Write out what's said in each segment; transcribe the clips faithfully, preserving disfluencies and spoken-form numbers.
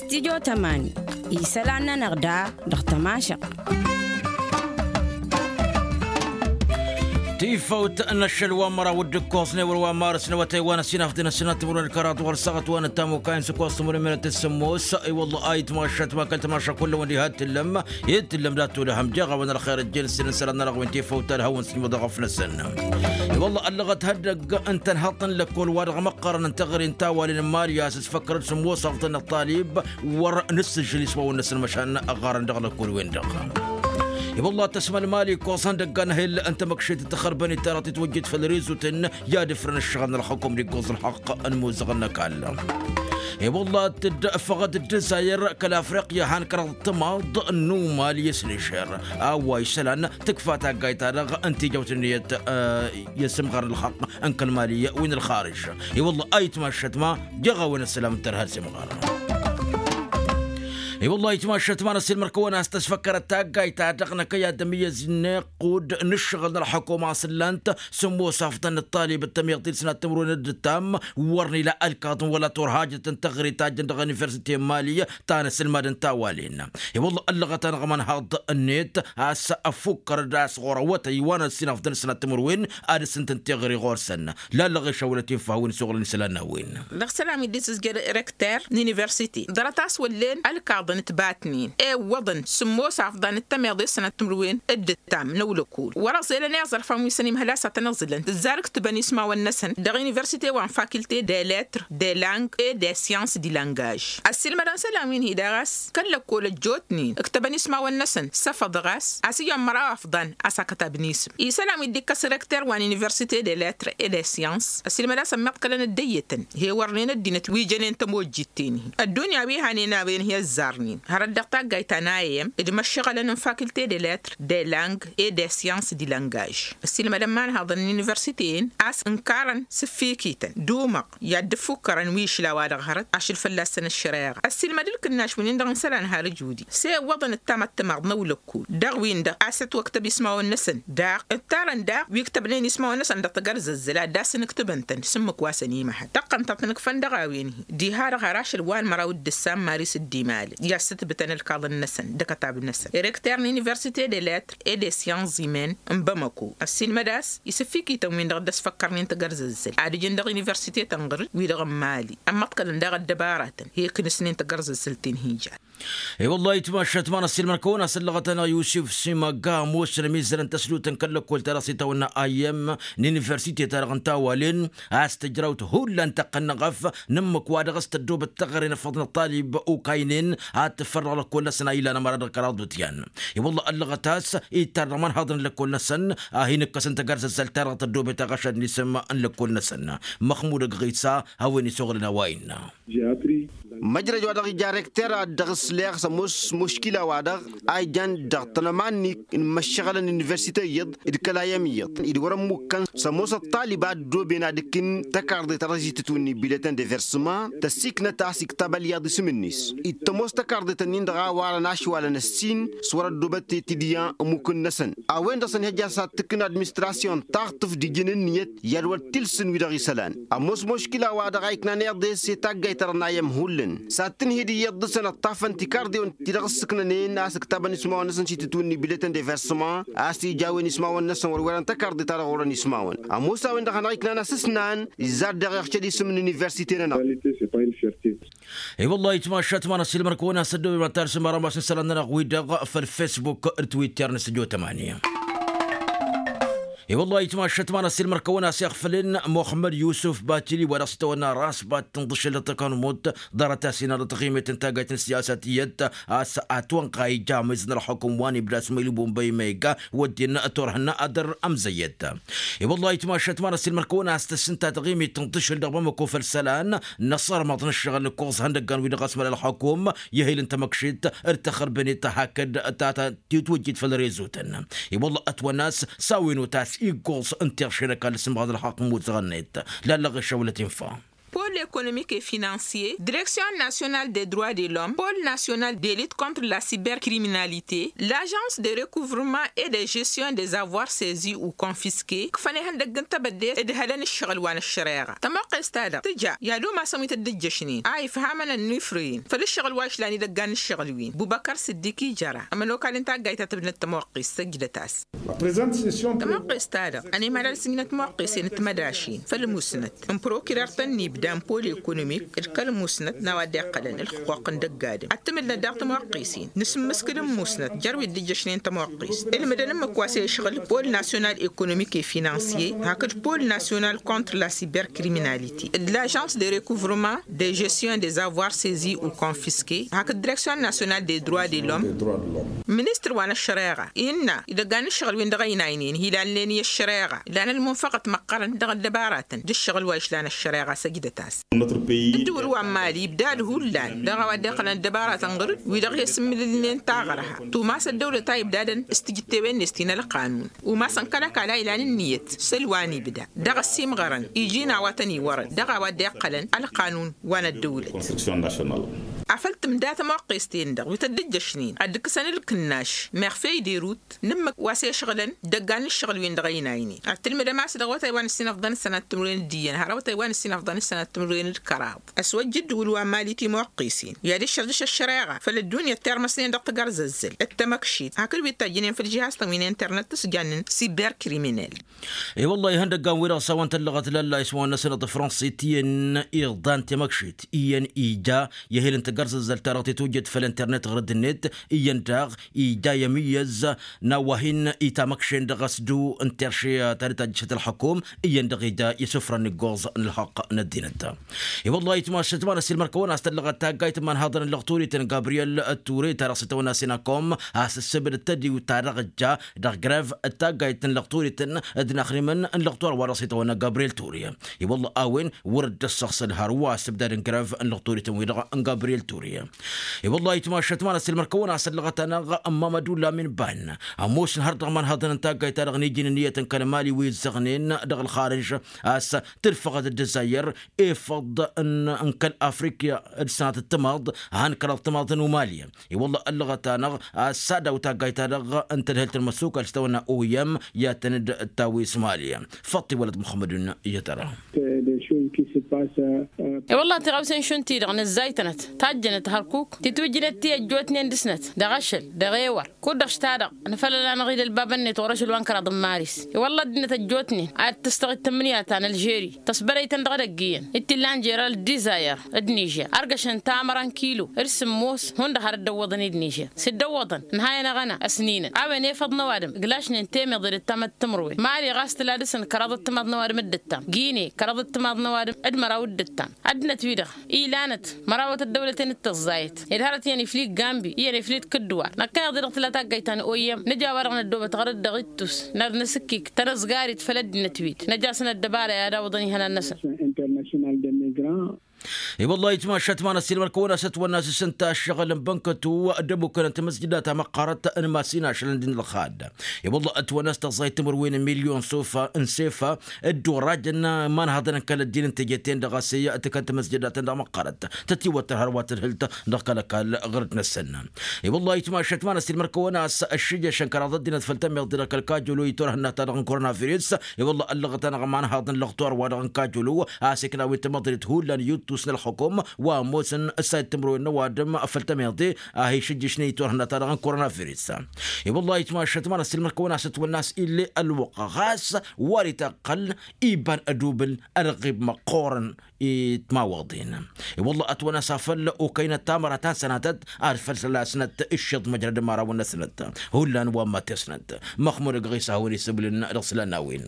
Stijo tămani isălan-nănăɣ da dăɣ-tămašăɣt. Tifăwt n-ašăl wa n-măraw d-ǝkkoẓne wăr wa n-marǝs n-awătay wa n-ăsinafḍen ăssinat timǝrwen ălkăraḍ wăr săɣăt wa n-ătamuka-in s-ǝkkoẓ timǝrwen mărăt s-sǝmmos. I-wălla a itmašat ma kăl-tămaša kull-ăwăn diha t-tǝllăm i-tǝllăm dat-olăhăm jeɣ a-wen ălxer ăjjel s-inǝsălan-nănăɣ wi n-tifăwt ad-hawăn-sǝjmăḍ ăɣăf-năsăn. I-wălla ăllăɣăt hăddăgg ǝnta ănhăḍt n-lăkkol-wa-dăɣ măqqărăn n-teɣăre n-tawalen n-mali a-s ǝsfăkkărăd sǝmmos afḍăn ăṭṭalib wăr nǝssǝžžǝl ismawăn-năsăn măšan ăɣarăn dăɣ-lăkkol-wen-dăɣ. I-wălla tăsmăl mali ikoẓăn dăgg-anhel n-tamăkšet d-tăxărbănet ta dăɣ-titwăjjet făll-rezuten i-ad-ǝfrăn ǝššăɣǝl n-ălxăkum d-iggoẓ ălxaqq n-imuzăɣăn n-ăkall. I-wălla tǝffăɣăt d-dezayăr kăl-afriqya han kăraḍ d-tămaḍ n-umal i-asnešer a-wa isălan tǝkfa taggayt-ta-dăɣ n-tijawt-net i-asǝmɣar n-ălxaqq n-kăl-mali wi n-ălxarǝž. I-wălla a itmašăt ma jeɣ a-wen ăssălam n-tărha ălsimɣar. I-wălla a itmašăt ma n-ăssiilmăr-kăwăn a-s tăsfăkkărăt taggayt-ta-dăɣ năkăy ad-ămǝyyăz-net kud n-ǝššăɣǝl n-ălxukuma a-s ǝllan-t sǝmmos afḍăn n-ăṭṭalib d-tămiḍt-i d-sănat timǝrwen d-ǝttam wăr n-ila ălkaḍăn wăla turhajăt n-teɣăre tajjăn dăɣ-universite n-mali ta n-asǝlmad n-tawalen. I-wălla ăllăɣăt-anăɣ ămanhaḍ-net a-s ăffukkăr-dd a-s ɣur-awătăy wa n-ăssinafḍăn d-sănat timǝrwen ad-ǝssǝntăn teɣăre ɣur-săn. Lallăɣ ešăwălăt infa a-wen isuɣǝlăn isălan n-a-wen. Dăɣ-isălan wi dd-isǝzjăr rekter n-universite ḍarăt a-s wăllen ălkaḍăn ǝtbatnen iwwăḍăn sǝmmos afḍăn d-tămiḍe s-sănat timǝrwen d-ǝttam n-ăwlăkul wăr-ăẓelăn i-aẓărfan wi s-ănimhăl a-s ad-tăn-ăẓǝlăn tǝzzar ǝktǝbăn ismawăn-năsăn dăɣ-universite wa n-fakilte de letr de lang e de syans di langaj. Ăssiilmădăn isălan wi n-hi-daɣ a-s kăl-lăkkol ăjjootnen ǝktăbăn ismawăn-năsăn săfăḍ ɣas a-s iyyăn măraw afḍăn a-s akătabnen isǝm isălan wi dd-ikkăs rekter wa n-universite de letr e de syans ăssiilmăd a-s ămmiḍkălăn dd-ăyyătăn he-wărnen ăddinăt wi jănen tămojjit-ten-hi ăddunya wi hanen a-wen hi-ăzzarnen hărăt dăɣ-taggayt ta n-a i m d-imăššăɣălăn n-fakilte de letr de lang e de syans di langaj. Ăssiilmădăn imanhaḍăn n-universite-en a-s ǝnkarăn s-ǝffikităn d-umăɣ i-ad-dd-ǝffukkărăn wi išla-wa-dăɣ hărăt ašăl fălla-săn ăššăreɣa ăssiilmăd ǝlkǝnnaš wi-nin-dăɣ n-isălan har ǝjudi s-e ǝwwăḍăn ǝttam ăttămaḍ n-ăwlăkkul dăɣ-win-dăɣ a-s ătwăktăb ismawăn-năsăn daɣ ǝttarăn daɣ wi ǝktăbnen ismawăn-năsăn dăɣ-tagărzăzzăl ad-dd-asǝnǝktǝbăn-tăn s-ǝmmǝk wa s-ănimăhăl tăqqăn-tăt nǝkfăn dăɣ-a-wen-hi diha-dăɣ har ašăl wa n-măraw d-ǝssan maris dd-imalăn i-ad-sǝtbǝtăn ălkaḍăn-năsăn d-akătab-năsăn rekter n-universite de letr e de syans zimen n-bamăko ăssiilmăd a-s isǝffikităn-win-dăɣ dd-ăsfăkkărnen tagărzăzzăl ad-ǝjǝn dăɣ-universite tănɣăr-dd wi-dăɣ n-imali ămmăḍkălăn daɣ ăddăbaratăn hi-iknǝsnen tagărzăzzăl-ten hi-ijan. I-wăllah itmašat ma n-ăssiilmăr-kăwăn a-s ăllăɣăt-anăɣ yusif simaga ămoosăn ămizzălăn tăsdutăn kăl-lăkkol-ta-dăɣ s-itawănna a i m n-universite-ta-dăɣ n-tawalen a-s tǝjrawt hullan tăqqăn n-eɣăf n-ǝmmǝk wa dăɣ-s tăddoobăt teɣăre n-afăḍ n-ăṭṭalib okaynen ad-tǝffăr dăɣ-lăkkol-năsăn a ilan ămăra dăɣ-kăraḍ d-utyan. I-wăllah ăllăɣăt a-s ittar dăɣ-imanhaḍăn n-lăkkol-năsăn a hin-ǝkkăsăn tagărzăzzăl-ta-dăɣ tăddoobet aɣăšad n-isǝm n-lăkkol-năsăn. Măxmud ăgɣisa a-wen isuɣǝlăn a-wa innă. Măjrăj wa dăɣ-ija rekter ad-dăɣ-ǝsleɣ s-ămoos muškila-wa-dăɣ a ijan dăɣ-tănămannik n-imăššăɣălăn n-universite iyyăḍ d-kăla i-ămiyyăḍ d-wăr-ămmukkăn s-ămoos ăṭṭalib a ăddooben ad-ǝkkǝn tăkarḍe ta dăɣ-s itǝtwǝnni biletan de versăma tăsiknăt a-s iktăb ălyaḍ isǝm-net. Ittămoos tăkarḍe-tăn-in-dăɣ a warăn ašwalăn ăssin s-wăr-ăddoobăt tetǝdya ămmuk-năsăn a-wen-dăɣ s-ănhăjja s-ad-tǝkkǝn administrasyon taɣtǝft d-ijăn ǝnniyăt i-ad-wăr t-ilsǝn wi-dăɣ isălan. Ămoos muškila-wa-dăɣ a iknan iḍes i-taggayt-ta-dăɣ n-ayăm hullan s-ad-tǝnhǝy d-iyyăḍ dăɣ-săn ăṭṭafăn tikarḍiwăn ti-dăɣ ǝssǝknănen a-s ǝktabăn ismawăn-năsăn s-itǝtwǝnni biletan de versăma a-s ija a-wen ismawăn-năsăn wăr-werăn tăkarḍe-ta-dăɣ orăn ismawăn. Ămoos a-wen-dăɣ hanăɣ-iknan asǝsnan izzar daɣ iɣšăd isǝm n-universite-nănăɣ. I-wăllah itmašat ma n-ăssiilmăr-kăwăn a-s ăddooben ma n-tarsǝm ara masǝn isălan-nănăɣ-wi-dăɣ făll-fesbuk d-twitter n-sǝjo tămani. I-wăllah itmašat ma n-ăssiilmăr-kăwăn a-s iɣfălăn muxămmăd yusuf batili wa dăɣ-s itawănna rasbat tǝnḍǝšăl dăɣ-tăkanumut ḍarăt-as-in ad-ătɣimet n-taggayt n-siyasa tiyyăt a-s atwănɣa ija amizăn ălxukǝm wa n-ibda s-măylubu n-băy mega wădden turhǝn adăr ămzăyyăt. I-wăllah itmašat ma n-ăssiilmăr-kăwăn a-s tăssǝnta tăɣimit tǝnḍǝšăl dăɣ-bamăko făll-isălan n-asărmăḍ n-ǝššăɣǝl n-ǝkkoẓ ihăndăggan wi-dăɣ a-s măla ălxukum i-ehil n-tamăkšit d-tăxărbănet hakd ta titwǝjjit făll-rezutăn. I-wălla ătwănna a-s s-a-wen-wăt a-s iggoẓ n-tiɣše n-ăkall s-imɣaḍ ălxaqq n-imuzăɣăn-net. Lallăɣ išăwlăt infa. Pol L'économique et financier, direction nationale des droits de l'homme, pôle national de lutte contre la cybercriminalité, l'agence de recouvrement et de gestion des avoirs saisis ou confisqués. Kǝfăn ihăndăgg n-tebădde d-hălăn ǝššăɣǝl wa n-ăššăreɣa tămoqqes-ta-dăɣ tǝja i-ad-umasăn wi tăt-dd-ǝjjăšnen a ifhamăn ănnifrăyăn făll-ǝššăɣǝl wa išlan idăggan n-ǝššăɣǝl-win bubăkăr s-dd-ikijăra ămănokal n-taggayt ta tǝbnăt tămoqqes săjdăt-as. Tămoqqes-ta-dăɣ ănimălal s-ǝnjǝnăt timoqqesen d-timădašin făll-musnăt n-prokirer ta n-ibda n-pol ekonomik d-kăl-musnăt n-a-wa dd-iqqălăn ǝlxǝquq n-dăgg-adǝm ad-tǝmǝlnăt daɣ timoqqesen. Nǝsǝmmǝskǝd n-musnăt jer-wi dd-ǝjjăšnen timoqqes ǝlmǝdăn ǝmmǝk wa s-e-išɣǝl pol national ekonomik et financier hakd pol national contre la cybercriminalité d-l'agence de recouvrement de gestion des avoirs saisis ou confisqués hakd direction nationale des droits de l'homme. Ministăr wa n-ăššăreɣa innă idăggan n-ǝššăɣǝl-win-dăɣ ăynaynen hilalnen i-ăššăreɣa ilan ălmunfăɣăt măqqărăn dăɣ-ăddăbaratăn d-ǝššăɣǝl wa išlan ăššăreɣa săjdăt-as. Ǝddǝwǝl wa n-mali ibdad hullan dăɣ-a-wa dd-iqqălăn ăddăbaratăn ɣǝr-dd wi-dăɣ hi-sǝmmǝlǝlnen taɣărha tumas ăddăwlăt a ibdadăn s-tijǝttewen-net ti n-ălqanun umasăn kăl-ăkall a ilan ǝnniyăt săl wa n-ibda dăɣ-ăssimɣărăn iji n-a-wa tăn-iwărăn dăɣ-a-wa dd-iqqălăn ălqanun wa n-ăddăwlăt. Afăl tǝmda tămoqqes-ten-dăɣ wi tăt-dd-ǝjjăšnen ad-dd-ǝkkǝsăn ǝlkǝnnaš meɣ fey d-erut n-ǝmmǝk wa s-ešɣǝlăn dăggan n-ǝššăɣǝl-wen-dăɣ ăynaynen ad-tǝlmǝdăm a-s dăɣ-awătay wa n-ǝssin ăfḍăn ǝssănat timǝrwen d-iyyăn har awătay wa n-ǝssin ăfḍăn ǝssănat timǝrwen d-kăraḍ. Ăswăjj ǝddǝwǝl wa n-mali timoqqesen i-ad-iššărdǝš ăššăreɣa făll-ăddunya tirmăsnen dăɣ-tigărẓăzzăl d-tamăkšit hakd wi t-ăjjǝnen făll-žihaz-tăn wi n-internet s-jannen cybercriminel. I-wălla ihăndăggan-wi-dăɣ s-a-wăn tăllăɣăt lalla ismawăn-năsăn d-fransit iyyăn iḍan temăkšit iyyăn ija i-ehel n-tigărẓăzzăl-ta-dăɣ titwǝjjăd făll-internet ɣur-dd-net iyyăn daɣ ija i-amǝyyăz n-a-wa hin-itamăkšen dăɣ-asdu n-terše ta dd-tajjăšăt ălxăkum iyyăn-dăɣ ija i-isǝfrăn iggoẓ n-ălxăqq n-ăddinăt. I-wălla-hi tmašăt ma n-ăssiilmăr-kăwăn a-s tăllăɣăt taggayt n-imanhaḍăn n-lăɣturităn gabriyel ture ta dăɣ-s itawănna sinacom a-s ăssebăd d-tădiwt ta dăɣ-ǝjja dăɣ-grev d-taggayt n-lăɣturităn d-inaxrimăn n-lăɣtur wa dăɣ-s itawănna gabriyel ture. I-wălla a-wen wăr dd-ăssăɣsăl hărwa ăssebdad n-grev n-lăɣturităn-wi-dăɣ n-gabriyel ture. I-wălla-hi tmašăt ma n-ăssiilmăr-kăwăn a-s ăllăɣăt-anăɣ n-mamădu lamin ban ămoosăn har dăɣ-imanhaḍăn n-taggayt-ta-dăɣ n-iji n-ǝnniyăt n-kăl-mali wi ǝzzăɣnen dăɣ-ălxarǝž a-s tǝlfăɣăd d-ǝzzayăr efăḍ n-kăl-afrikya d-sănatăt timaḍ han kăraḍ timaḍ n-umali. I-wălla ăllăɣăt-anăɣ a-s ad-aw taggayt-ta-dăɣ n-tadhǝlt n-măssukal s-tawănna oyăm i-ad-tăn-dd-tawǝy s-mali. Făṭṭi wălăt muxămmădun i-tăra. I-wălla tiɣawsen šund-ti-dăɣ nǝzzaytănăt tajjănăt hărkuk titwǝjjǝnet ti ăjjootnen dăɣ-snăt dăɣ-ašăl dăɣ-ewăr kud-dăɣ šta-dăɣ nǝfălăl-anăɣ-dd ălbabăn-net ɣur-ašăl wa n-kăraḍ n-maris. I-wălla ăddinăt ăjjootnen ad-tǝstăɣ d-tǝmmǝnǝya ta n-ălžeri tăsbărăy-tăn dăɣ-edăgg iyyăn d-t-illa n-jeral d-izayăr d-nižer ărgăšăn tamăra n-kilo d-sǝmmos hundăɣ har dd-ăwwăḍăn-dd nižer s-dd-ăwwăḍăn ǝnhayăn aɣăna ăsninăn a-wen efăḍ n-ăwadǝm glašnen temeḍe d-ăttamăttămrăwen mali ɣas tǝla dăɣ-săn kăraḍăt timaḍ n-ăwadǝm d-ǝttam gine kăraḍăt timaḍ n-ăwadǝm d-măraw d-ǝttam. Ăddinăt-wi-dăɣ ilanăt mărawăt ăddăwlăten d-tăẓẓayăt ed hărăt iyyăn iflid gambi iyyăn iflid kǝddǝwar năkkăneḍ-i-dăɣ tǝla taggayt ta n-oyăm nǝja a-wa-dăɣ năddoobăt ɣur-dd dăɣ-ittus n-ad-nǝsǝkkik tanăzgarit făll-ăddinăt-wi-dăɣ năj'-asăn ăddăbara i-ad-awǝḍăn ihănan-năsăn. I-wălla-hi tmašat ma n-ăssiilmăr-kăwăn a-s ătwănna s-ǝssǝnta ăššăɣǝl n-bănkătu d-ămukăn n-tamăzjǝda ta măqqărăt n-masin ašăl n-dd-nǝlxad. I-wălla ătwănna s-tăẓẓayt timǝrwen n-milyon sofa n-sefa dd-orajăn imanhaḍăn n-kăl-ăddin n-teje-ten-dăɣ a-s i-tǝkăn tamăzjăda-tăn-dăɣ măqqărăt tătiwăttăr hărwa tǝdhǝlt dăɣ-kăl-ăkall ɣur-dd-năsăn. I-wălla-hi tmašat ma n-ăssiilmăr-kăwăn a-s ăššǝjjăšăn kăraḍ ăddinăt făll-tammiḍt dăɣ-kăl-kajolo itwărhǝnna-ta-dăɣ n-koronavirus. I-wălla ăllăɣăt-anăɣ imanhaḍăn lăɣtor-wa-dăɣ n-kajolo a-s ikna wi n-tamăḍrit hullan i-uttus n-ălxukum wa ămoosăn ǝssayăt timǝrwen n-ăwadǝm făll-tammiḍe a hi-išǝjjǝšnen itwărhǝnna-ta-dăɣ n-koronavirus. I-wălla-hi tmašat ma n-ăssiilmăr-kăwăn a-s ătwănna a-s ill'-e ălwăqq ɣas wăr-itaqqăl iba n-ădubǝl ălɣib măqqoorăn i-timawaḍen. I-wălla ătwănna a-s afăl okăynăt tamăra ta n-sănatăt ad-făl săl-asnăt ǝššeḍ măjrăd imărawăn-năsnăt hullan wa n-mattesnăt. Măxmud ăgg ɣisa a hawăn-isǝbǝlǝn dăɣ-isălan n-a-wen.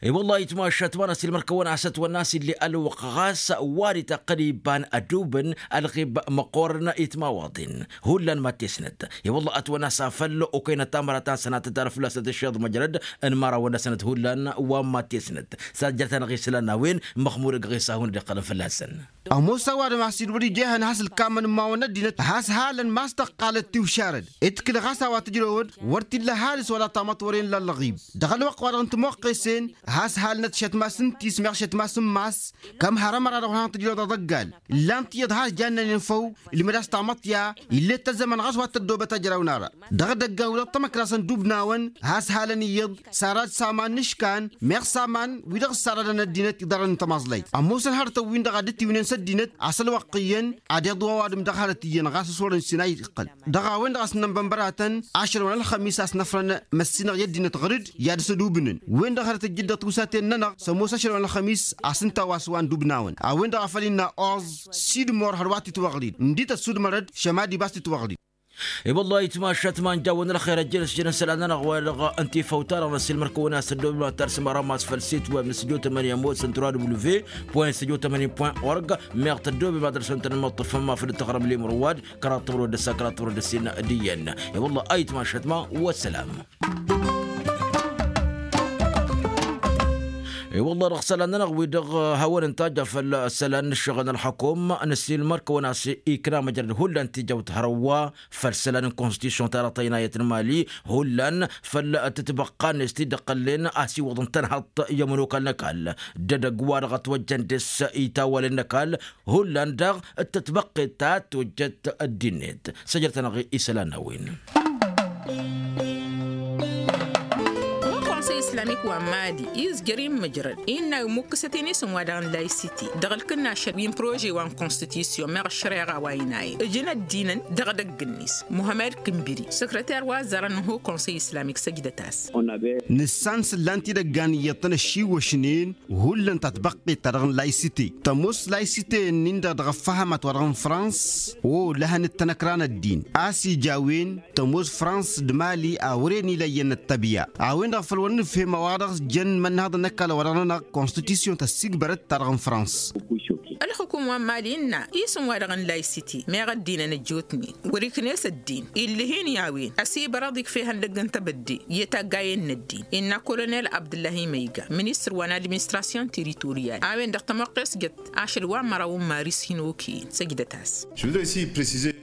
I-wălla-hi tmašat ma n-ăssiilmăr-kăwăn a-s ătwănna a-s ill'-e ălwăqq ɣas wăr-itaqqǝl iba n-ădubǝn ălɣib măqqoorăn i-timawaḍen hullan mattesnăt. I-wălla ătwănna a-s afăl okăynăt tamăra ta n-sănatăt ar fălla-s tăt-ǝššeḍ măjrăd n-imărawăn-năsnăt hullan wa n-mattesnăt. S-ad-jăr-tanăɣ isălan n-a-wen măxmud ăgg ɣisa a hawăn-dd-iqqălăn fălla-săn. Ămoos ăwadǝm a-s dd-wăr-ija ehăn has-ǝlkammăn n-imawăn n-ăddinăt has-halăn ma s-tăqqalăt tiwšarăd. Ǝtkǝl ɣas a-wa tǝjrewăd wăr t-illa ăhalǝs wăla tamăḍt wăren la ălɣib dăɣ-ălwăqq-wa-dăɣ n-timoqqesen. Has halnăt šătmas n-tismeɣ šătmas n-mass. Kăm hărămăra dăɣ-wăr hanăt-tǝjrăw dăɣ-dăggal. Illan tiyyăḍ has jannănen făw. Ilmăd-as tamăṭṭya. Ill'-e tăzzămăn ɣas wa t-tăddobăt ajrăw n-ara. Dăɣ-dăggal wi dăɣ-tamăkra s-ăndubnawăn has halăn iyyăḍ. Sarad s-aman n-iškan meɣ s-aman wi-dăɣ ǝssaradăn ăddinăt iḍarrăn n-tămaẓlayt ămoosăn hărătăn-win-dăɣ a dd-tiwǝynen s-ăddinăt. A-s ălwăqq iyyăn ad-iḍwa ăwadǝm dăɣ-hărăt iyyăn ɣas ăsorăn s-inay iqqăl. Dăɣ-a-wen-dăɣ a-s n-ănbănbăratăn ašăl wa n-ălxămis a-s năfrăn măssinăɣ i-ăddinăt ɣǝr-dd i-ad-ăsădubǝnăn. Wen-dăɣ hărăt ǝjjǝd dăɣ-tiwsaten-nănăɣ s-ămoos ašăl wa n-ălxămis a-s ǝnta a-wa s-wa n-dubnawăn a-wen-dăɣ a făl innă oẓ. Sidmor hărwa t-itwăɣlid ǝndi tăssudmăr-dd šămad ibas t-itwăɣlid. I-wălla a itmašat ma n-jawăn ălxer ăjjăn s-jăn isălan-nănăɣ wa dăɣ-ǝnta ifăw-ta-dăɣ n-ăssiilmăr-kăwăn a-s tăddobem ad-tarsǝm arammas făll-sit web n-studio tămănǝya n-mos n-tura w. Point studio tămănǝya point org. Meɣ tăddobem ad-dăr-săn tăn-măṭṭăfăm ma făll-tăɣrăm limrǝwad. Kăraḍ tămrăwăd d-ăssa kăraḍ tămrăwăd d-ăssin d-iyyăn. I-wălla a itmašat ma wăssălam. I-wălla dăɣ-isălan-nănăɣ wi-dăɣ hawăn-ǝnta a ja făll-isălan n-ǝššăɣǝl n-ălxăkum. Năssiilmăr-kăwăn a-s ikna măjrăd hullan tijawt hărwa făll-isălan n-konstitusyon-ta-dăɣ tăynayăt n-imali. Hullan făll-tǝtbăqqa-net ti dd-ăqqălnen a-s iwwăḍăn tănhăḍt i-ămănokal n-ăkall d-edăgg wa dăɣ-ătwăjjăn dăɣ-s itawalen n-ăkall. Hullan daɣ d-tătbăqqet ta tojjăt ăddinnet. Săjdăt-anăɣ isălan n-a-wen. Konsăy islamik wa n-mali izjăr-in măjrăd innă imukkǝsăt-in isǝm wa dăɣ-n laysiti dăɣ-ǝlkǝnnašăl wi n-prože wa n-konstitusyon meɣ ăššăreɣa wa inayen ǝjǝn ăddinăn. Dăɣ-edăgg-net muhămmăd kǝnbǝri săkrăter wa ăzzarăn n-ho konsăy islamik săjdăt-as. Nǝssan s-ǝllan tidăggan iyyăḍ-tăn ăššiwwăšnen hullan tatbăqqet ta dăɣ-n laysite tămoos laysite-nin dăɣ-dăɣ ăffăhămat wa dăɣ-n frans. O lăhăn d-tanăkra n-ăddin a-s ija a-wen tămoos frans d-mali a wăren ila iyyăn ăttăbya a-wen-dăɣ făl wăr nǝfhem a-wa dăɣ-s jăn imănnăhăḍăn n-ăkall wa dăɣ-nănăɣ konstitusyon tăssigbărăt ta dăɣ-n frans. Ălxukum wa n-mali ǝnna isǝm wa dăɣ-n laysite meɣ ăddinăn ăjjootnen wăr-ikna s-ăddin illăh-in i-a-wen ăsibărăḍ ikfa ihăndăgg n-tebădde i-taggayen n-ăddin innă kolonel abdǝllahi măyga ministăr wa n-administrasyon tiritoryal a-wen-dăɣ tămoqqes jăt ašăl wa n-măraw n-maris hin-okăyăn săjdăt-as.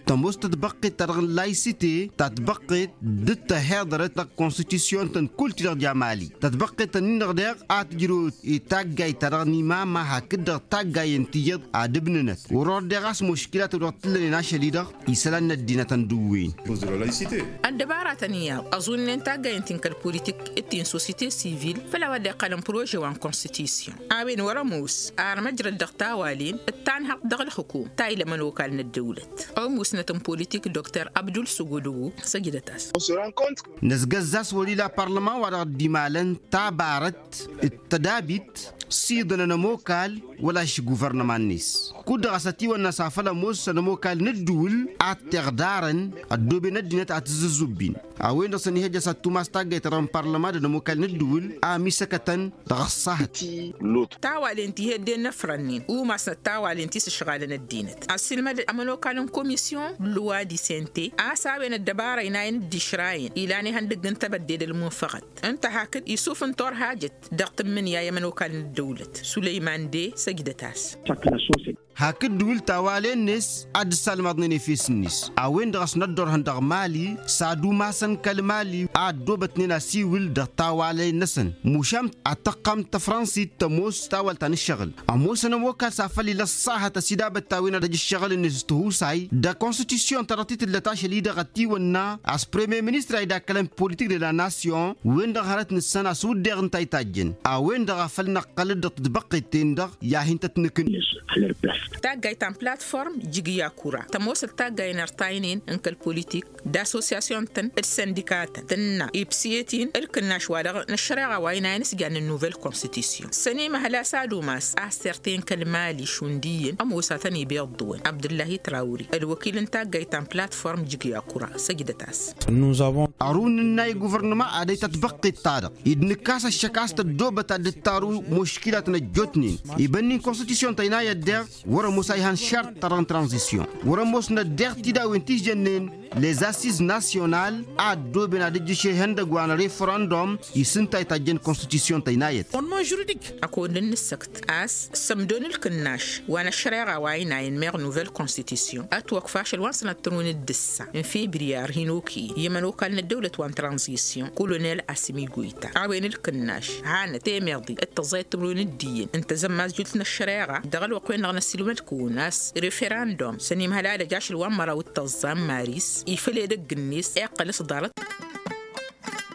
Tămoos tătbăqqet ta dăɣ-n laysite tătbăqqet d-tăhiḍărăt dăɣ-konstitusyon-tăn kull ti-dăɣ ja mali tătbăqqet-tăn-in-dăɣ deɣ a tǝjrăwăt i-taggayt ta dăɣ-nimama hakd-dăɣ taggayen tiyyăḍ ad-ǝbnǝnăt wăr-ordeɣ a-s muškilat wi-dăɣ t-ǝllănen ašăl-i-dăɣ isălan n-ăddinăt ăndǝwwen. Ăddăbaratăn iyyăḍ ăẓunnen taggayen ti n-kăl-politik d-ti n-sosite sivil făll-a-wa dd-iqqălăn prože wa n-konstitusyon a-wen wăr-ămoos ar măjrăd dăɣ-tawalen d-tanhăḍt dăɣ-ǝlxǝkum ta ila ămănokal n-ăddăwlăt ămusnăt n-politik dr abdul sugudugu săjdăt-as. Năzgăzz a-s wăr-ila parlăman wa dăɣ-dd-imalăn tabarăt d-tădabit s-iḍǝnăn ămokal wăla š-guvărnăma-net kud-dăɣ a-s ătiwănna s-afăl ămoos ănămokal n-ǝddǝwǝl ad-t-iɣdarăn ăddooben ăddinăt ad-t-ǝzzǝzzǝbbin. A-wen-dăɣ săn ihăjja s-ad-tumas taggayt ta dăɣ-n parlăma d-ănămokal n-ǝddǝwǝl a ămisăkătăn dăɣ-ăṣṣahăt. Tawalen ti heddennăfrănnen umasnăt tawalen ti s-ǝšɣalăn ăddinăt ăssiilmăd ămănokal n-komisyon luwa disente a-s a-wen ăddăbara inayăn dd-išrayăn ilan ihăndăgg n-tebădde d-ălmunfăɣăt ǝnta hakd isuf n-turhajăt dăɣ-tǝmmǝnǝya i-ămănokal n-ăddăwlăt sulăyman de săjdăt-as. Hakd ǝddǝwǝl tawalen-net ad-dd-salmăḍnen efes-net a-wen-dăɣ a-s năddorhăn dăɣ-mali s-ad-umasăn kăl-mali a ăddoobătnen asiwǝl dăɣ-tawalen-năsăn mušam ad-tăqqam tăfrănsit tămoos tawăl ta n-ǝššăɣǝl ămoosăn ămokal s-afăl ila ăṣṣahăt ăsidabăt ta-wen ad-ăj ǝššăɣǝl-net s-tihusay d-konstitusyon ta dăɣ-t-tǝllăt ašăl-i-dăɣ ătiwănna a-s premier ministra idakkălăn politik de la nasyon wen-dăɣ hărăt nǝssăn a-s wǝddeɣ ǝnta a itajjăn a-wen-dăɣ a făl năqqăl-dd dăɣ-tǝtbăqqet-ten-dăɣ i-ad-hin-tăt-nǝkǝn. Taggayt ta n-platform jǝgǝy akura tămoosăt taggayen ărtaynen n-kăl-politik d-assosyasyon-tăn d-săndikatăn tǝnna ibsǝyet-in ǝlkǝnnaš wa dăɣ-năššăreɣa wa inayăn s-jannen nuvel konstitusyon s-ănimăhăl a-s ad-umas a-s terten kăl-mali šund iyyăn ămoosatăn ibeḍḍǝwăn abdǝllahi trawri ălwăkil n-taggayt ta n-platform jǝgǝy akura săjdăt-as. Ărun ǝnna i-guvărnăma ad-ăytăt băqqet-ta-dăɣ id-nǝkkas ăššăk a-s tăddoobăt ad-dd-taru muškilat n-ăjjootnen ibănni n-konstitusyon tăynayăt deɣ wăr-ămoos a ihan šart-ta-dăɣ n-tranzisyon wăr-ămoosnăt deɣ tidawen ti s-jănnen. Les assiz nasyonal a ăddooben ad-ǝjjǝš ihăndăgg wa n-referăndum. Isǝnta itajjăn konstitisyon tăynayăt. Ănmănžurdik. Ăkod n-nǝssăkt a-s sămdon ǝlkǝnnaš wa n-ăššăreɣa wa ăynayăn meɣ nuvel konstitisyon ătwăkf ašăl wa n-sănatăr wi n-dd-ǝssa n-febriyar hin-okăyăn i-ămănokal n-ăddăwlăt wa n-tranzisyon kolonel asǝmi goyta a-wen ǝlkǝnnaš hanăt temeḍi d-tăẓẓayăt timǝrwen d-iyyăn n-tezămmazzult n-ăššăreɣa dăɣ-ălwăqq-wen-dăɣ n-ăssiilmăd-kăwăn a-s referăndum săn imhăl alăj ašăl wa n-măraw d-tăẓẓa n-maris ifăl edăgg-net iqqăl s-ḍarăt.